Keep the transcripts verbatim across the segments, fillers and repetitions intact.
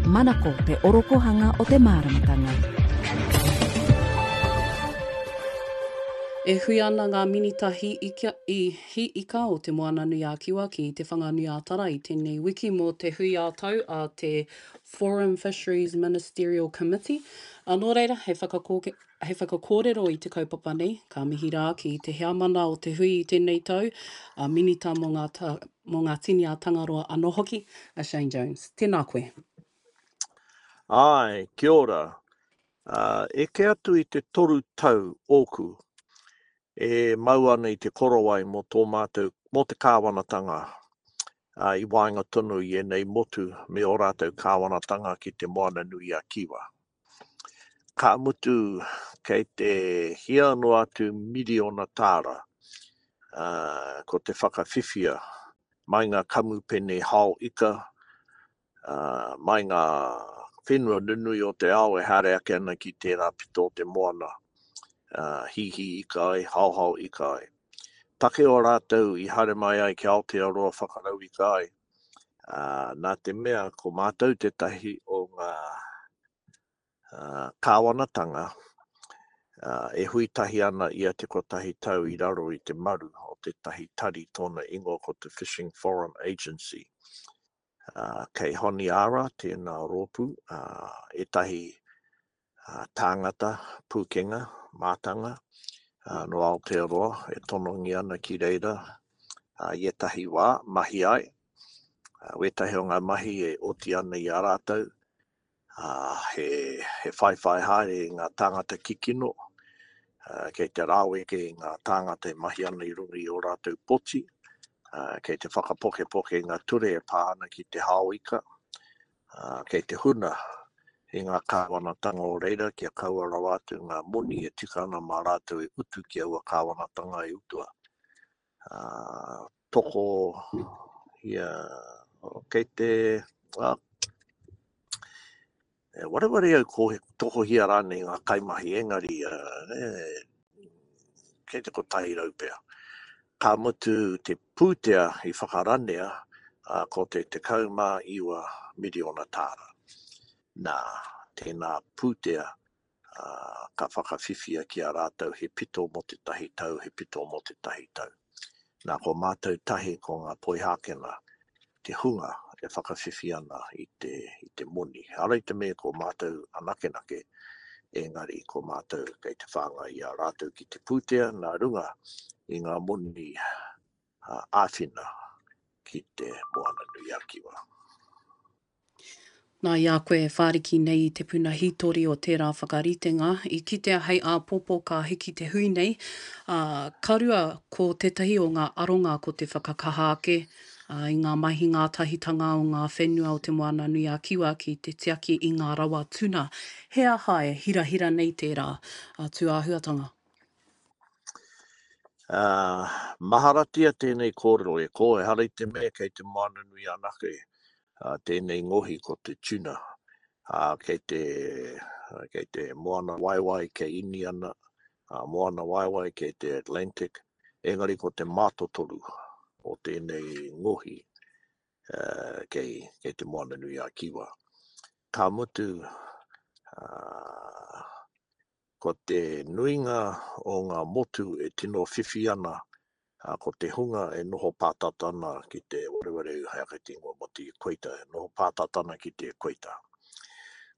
Manako te orokohanga o te māramatanga. E hui ana ngā minita hī ika, i hī ika o Te Moananui-a-Kiwa ki Te Whanganui-a-Tara i tēnei wiki mō te hui ā-tau a te Forum Fisheries Ministerial Committee. A nō reira, hei, whakakōke, hei whakakōrero i te kaupapa nei, ka mihi rā ki te heamana o te hui i tēnei tau, a minita mō ngā, ta, mō ngā tini a Tangaroa anō hoki, a Shane Jones. Tēnā koe. Āe, kia ora. Uh, eke atu i te toru tau ōku e mau ana i te korowai mō tō mātou, mō te kāwanatanga uh, i waenga tonu i ēnei motu me ō rātou kāwanatanga ki te Moana Nui a Kiwa. Ka mutu kei te hia noa atu miriona tāra uh, ko te whakawhiwhia mai ngā kamupene hao ika, uh, mai ngā whenua nunui o te ao e haere ake ana ki tērā pito o te moana, uh, hihi ika ai, haohao ika ai. Take o rātou i haere mai ai ki Aotearoa whakarau ika ai, uh, nā te mea ko mātou tētahi o ngā uh, kāwanatanga uh, e hui tahi ana ia te kotahi tau i raro i te maru o tētahi tari tōna ingoa ko te Fishing Forum Agency. Uh, kei Honiara tēnā rōpū, uh, ētahi uh, tāngata, pūkenga, mātanga, uh, no Aotearoa e tonongi ana ki reira uh, i ētahi wā, mahi ai. Uh, wētahi o ngā mahi e oti ana i a rātou, uh, he, he whaiwhai haere i ngā tāngata kikino, uh, kei te rāweke i ngā tāngata e mahi ana i runga i ō rātou poti, uh, kei te whakapokepoke i ngā ture e pā ana ki te hao ika, uh, kei te huna i ngā kāwanatanga o reira kia kaua rawa atu ngā moni e tika ana mā rātou e utu ki aua kāwanatanga e utua. Uh, toko ia, kei te, uh, e wareware au ko tokohia rānei ngā kaimahi engari, uh, e, kei te kotahi rau pea. Ka mutu te pūtea i whakaranea uh, ko te tekau mā iwa miriona tāra. Nā, tēnā pūtea uh, ka whakawhiwhia ki a rātou he pito mō te tahi tau, he pito mō te tahi tau. Nā, ko mātou tahi ko ngā Poihākena te hunga e whakawhiwhi ana i te, i te moni. Ara i te mea ko mātou anakenake, engari ko mātou kei te whāngai i a rātou ki te pūtea nā runga i ngā moni uh, āwhina ki te Moana Nui a Kiwa. Nā, i a koe e whāriki nei i te puna hītori o tērā whakaritenga, i kitea hei āpōpō ka hiki te hui nei, ā, ka rua ko tētahi o ngā aronga ko te whakakaha ake ā, i ngā mahi ngātahitanga o ngā whenua o Te Moana Nui a Kiwa ki te tiaki i ngā rawa tuna. He aha e hirahira nei tērā tūāhuatanga? Uh, maharatia tēnei kōrero e ko, ehara i te mea kei te Moana Nui anake uh, tēnei ngohi ko te tuna. Uh, kei te, uh, kei te Moana Waiwai kei Iniana, uh, Moana Waiwai kei te Atlantic, engari ko te mātotoru o tēnei ngohi uh, kei, kei te Moana Nui a Kiwa. Ka mutu, uh, ko te nuinga o ngā motu e tino whiwhi ana, uh, ko te hunga e noho pātata ana ki te wareware hei ake te ingoa mō te equator, e noho pātata ana ki te equator.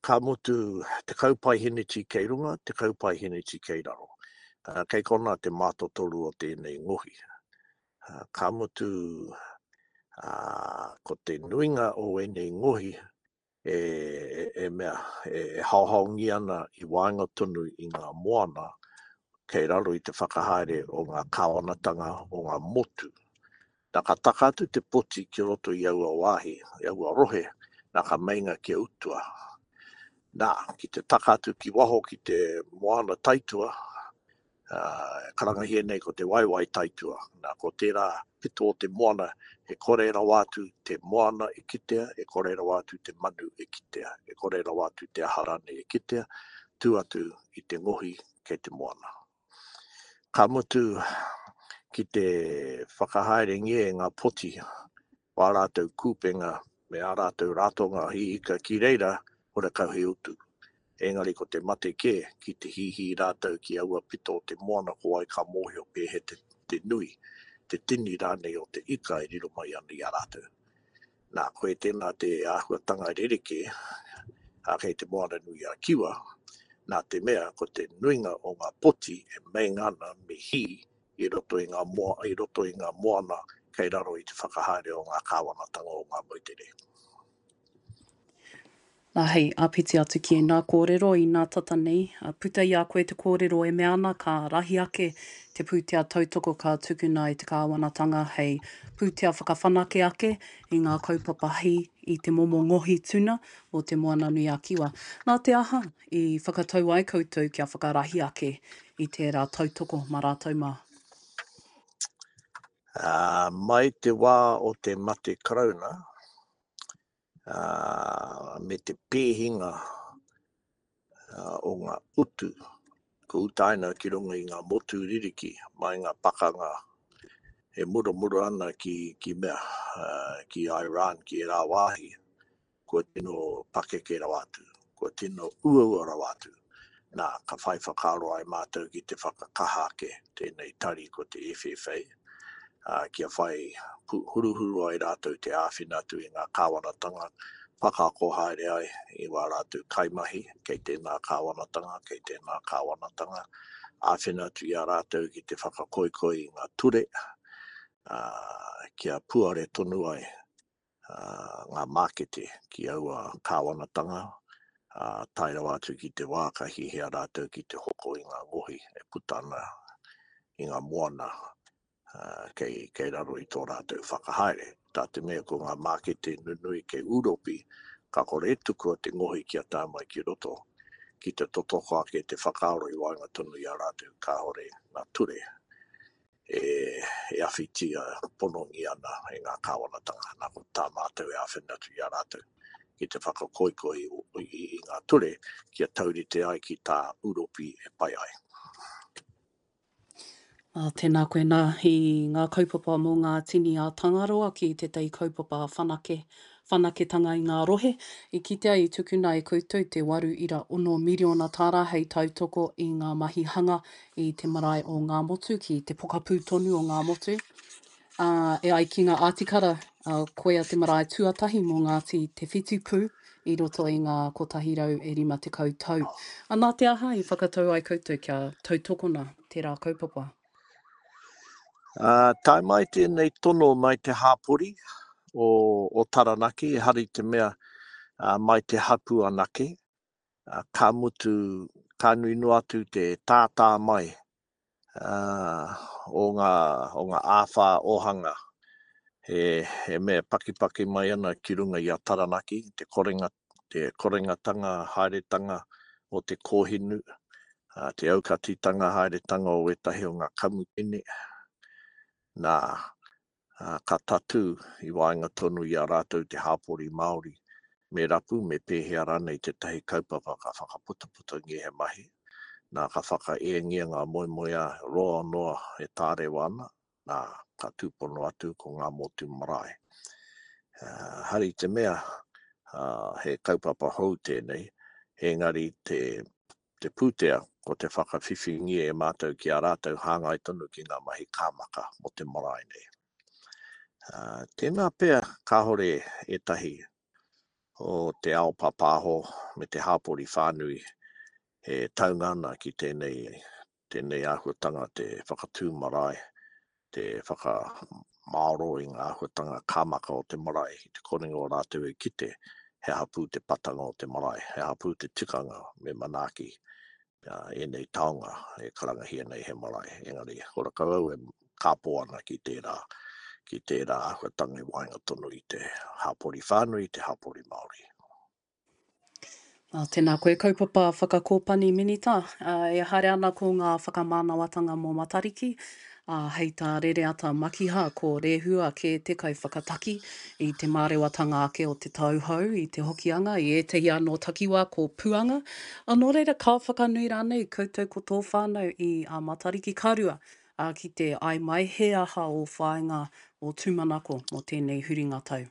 Ka mutu, tekau paeheneti kei runga, tekau paeheneti kei raro. Uh, kei kona te mātotoru o tēnei ngohi. Uh, ka mutu, uh, ko te nuinga o ēnei ngohi e, e, e mea, e, e haohaongi ana i waenga tonu i ngā moana kei raro i te whakahaere o ngā kāwanatanga o ngā motu. Nā ka taka atu te poti ki roto i aua wāhi, i aua rohe, nā ka meinga kia utua. Nā, ki te taka atu ki waho ki te moana taitua, uh, karangahia nei ko te waiwai taitua. Nā, ko tērā pito o te moana, e kore rawa atu te moana e kitea, e kore rawa atu te manu e kitea, e kore rawa atu te aha rānei e kitea, tū atu i te ngohi kei te moana. Ka mutu ki te whakahaerengia e ngā poti wā rātou kūpenga me ā rātou ratonga hī ika ki reira, horekau he utu. Engari ko te mate kē, ki te hīhī rātou ki aua pito o te moana ko wai ka mōhio pēhea te, te nui, te tini rānei o te ika e riro mai ana i a rātou. Nā, koe tēnā te āhuatanga rerekē ā, kei Te Moananui-a-Kiwa, nā te mea ko te nuinga o ngā poti e meinga ana me hī i roto i ngā moa, i roto i ngā moana kei raro i te whakahaere o ngā kāwanatanga o ngā moutere. Nā, hei āpiti atu ki ēnā kōrero inā tata nei, puta i a koe te kōrero e mea ana ka rahi ake te pūtea tautoko ka tukuna e te kāwanatanga hei pūtea whakawhanake ake i ngā kaupapa hī i te momo ngohi tuna o Te Moananui-a-Kiwa. Nā te aha i whakatau ai koutou kia whakarahi ake i tērā tautoko mā rātou mā? Ā, mai te wā o te mate Karauna, ā, me te pēhinga o ngā utu kua utaina ki runga i ngā motu ririki mai ngā pakanga e muramura ana ki, ki mea, ki Iran, ki ērā wāhi, kua tino pakeke rawa atu, kua tino uaua rawa atu. Nā, ka whai whakaaro ai mātou ki te whakakaha ake tēnei tari ko te F F A, ā, kia whai huruhuru ai rātou te āwhina atu i ngā kāwanatanga, whakaako haere ai i wā rātou kaimahi kei tēnā kāwanatanga, kei tēnā kāwanatanga, āwhina atu i a rātou ki te whakakoikoi i ngā ture, ā, kia puare tonu ai ngā mākete ki aua kāwanatanga, ā, tae rawa atu ki te wā ka hihia rātou ki te hoko i ngā ngohi e puta ana i ngā moana kei, kei raro i tō rātou whakahaere. Tā te mea ko ngā mākete nunui kei Ūropi, ka kore e tukua te ngohi kia tae mai ki roto, ki te totoko ake te whakaaro i waenga tonu i a rātou kāore ngā ture e, e awhitia ponongia ana e ngā kāwanatanga. Nā, ko tā mātou e āwhina atu i a rātou ki te whakakoikoi i, i, i ngā ture kia taurite ai ki tā Ūropi e pai ai. Ā, tēnā koe nā i ngā kaupapa mō ngā tini a Tangaroa ki tētahi kaupapa whanake, whanaketanga i ngā rohe. I kitea i tukuna e koutou te waru ira ono miriona tāra hei tautoko i ngā mahi hanga i te marae o Ngāmotu ki te pokapū tonu o Ngāmotu. Ā, e ai ki ngā ātikara, ā, koia te marae tuatahi mō Ngāti Te Whitipū i roto i ngā kotahi rau e rima tekau tau. Ā, nā te aha i whakatau ai koutou kia tautokona tērā kaupapa? Ā, tae mai tēnei tono mai te hāpori o, o Taranaki, ehara i te mea ā, mai te hapū anake, ā, ka mutu, ka nui noa atu te tātā mai ā, o ngā, o ngā āwhā ōhanga he, he mea pakipaki mai ana ki runga i a Taranaki, te korenga, te korengatanga haeretanga o te kōhinu, ā, te aukatitanga haeretanga o ētahi o ngā kamupene, nā, ā, ka tatū i waenga tonu i a rātou te hāpori Māori, me rapu, me pēhea rānei tētahi kaupapa ka whakaputaputangia he mahi, nā, ka whakaēngia ngā moemoeā roa noa e tārewa ana, nā, ka tūpono atu ko ngā motu marae. Uh, hari te mea, uh, he kaupapa hou tēnei, engari te, te pūtea ko te whakawhiwhingia e mātou ki a rātou hāngai tonu ki ngā mahi kāmaka mō te marae nei. Uh, tēnā pea kāhore ētahi o te ao pāpāho me te hāpori whānui e taunga ana ki tēnei, tēnei āhuatanga te whakatū marae, te whakamāro i ngā āhuatanga kāmaka o te marae, i te korenga o rātou e kite he hapū te patanga o te marae, he hapū te tikanga me manaaki ēnei taonga e karangahia nei he marae. Engari, horakau au e kāpō ana ki tērā, ki tērā āhuatanga i waenga tonu i te hapori whānui, i te hapori Māori. Ā, tēnā koe kaupapa whakakōpani Minita, ā, e haere ana ko ngā whakamānawatanga mō Matariki, ā, hei tā Rereata Makiha ko Rehua kē te kaiwhakataki i te mārewatanga ake o te tau hou i te Hokianga, i ētahi anō takiwā ko Puanga. Ā, nō reira ka whakanui rānei koutou ko tō whānau i a Matariki ka rua, ā, ki te ai mai he aha ō whāinga, ō tūmanako mō tēnei huringa tau?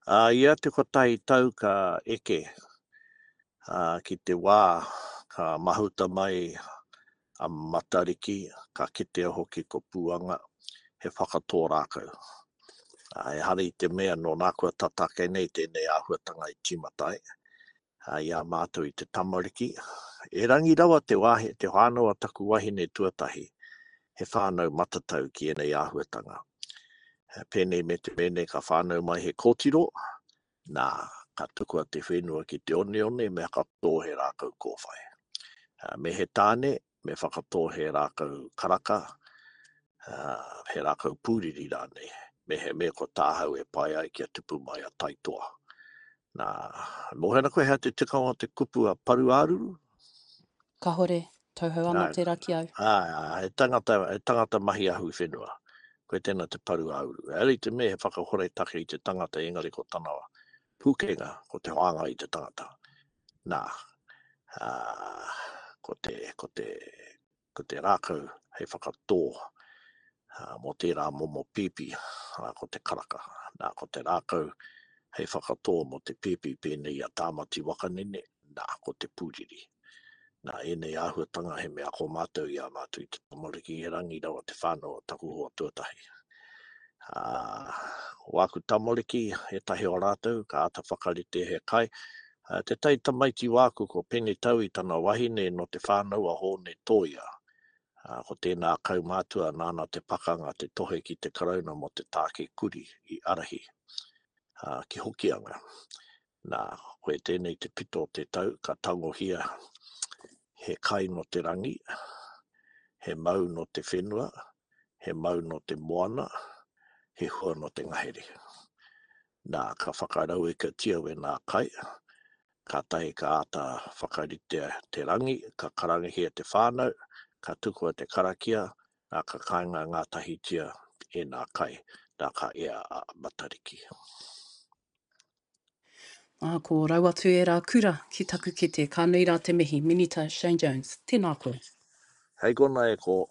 Ā, ia te kotahi tau ka eke, ā, ki te wā ka mahuta mai a Matariki, ka kitea hoki ko Puanga, he whakatō rākau. Ā, ehara i te mea nō nā kua tata ake nei tēnei āhuatanga i tīmata ai, ā, i a mātou i te tamariki. Erangi rawa te wāhi, te whānau a taku wahine tuatahi, he whānau matatau ki ēnei āhuatanga. Pēnei me te mēnei ka whānau mai he kōtiro, nā, ka tukua te whenua ki te oneone me whakatō he rākau kōwhai. Me he tāne, me whakatō he rākau karaka, he rākau pūriri rānei, me he mea ko tāhau e pai ai kia tupu mai a Taitoa. Nā, mōhio ana koe hea te tikanga o te kupu a paru-ā-ruru? Kahore, tauhou ana tērā ki au. Āe, āe, he tangata, he tangata mahi ahu whenua. Koe tēnā te paru-ā-uru. Ehara i te mea he whakahore take i te tangata engari ko tana pūkenga, ko te whāngai i te tangata. Nā, ā, ko te, ko te, ko te rākau hei whakatō mō tērā momo pēpi, arā, ko te karaka. Nā, ko te rākau hei whakatō mō te pēpi pēnei i a Tāmati Wakanene, nā, ko te pūriri. Nā, ēnei āhuatanga he mea ako mātou i a mātou i te tamariki, erangi rawa te whānau o taku hoa tuatahi. Ā, wāku tamariki, ētahi o rātou, ka āta whakarite he kai. Ā, tētahi tamaiti wāku ko Pene Tau i tana wahine nō te whānau a Hōne Tōia. Ā, ko tēnā kaumātua nāna te pakanga te tohe ki te Karauna mō te tāke kuri i ārahi, ā, ki Hokianga. Nā, koe tēnei te pito o te tau, ka tangohia he kai nō te rangi, he mau nō te whenua, he mau nō te moana, he hua nō te ngahere. Nā, ka whakarauikatia wēnā kai, kātahi ka āta whakaritea te rangi, ka karangahia te whānau, ka tukua te karakia, nā, ka kainga ngātahitia ēnā kai, nā, ka ea a Matariki. Ā, ko rau atu ērā kura ki taku kete. Ka nui rā te mihi, Minita Shane Jones. Tēnā koe. Hei kona e ko.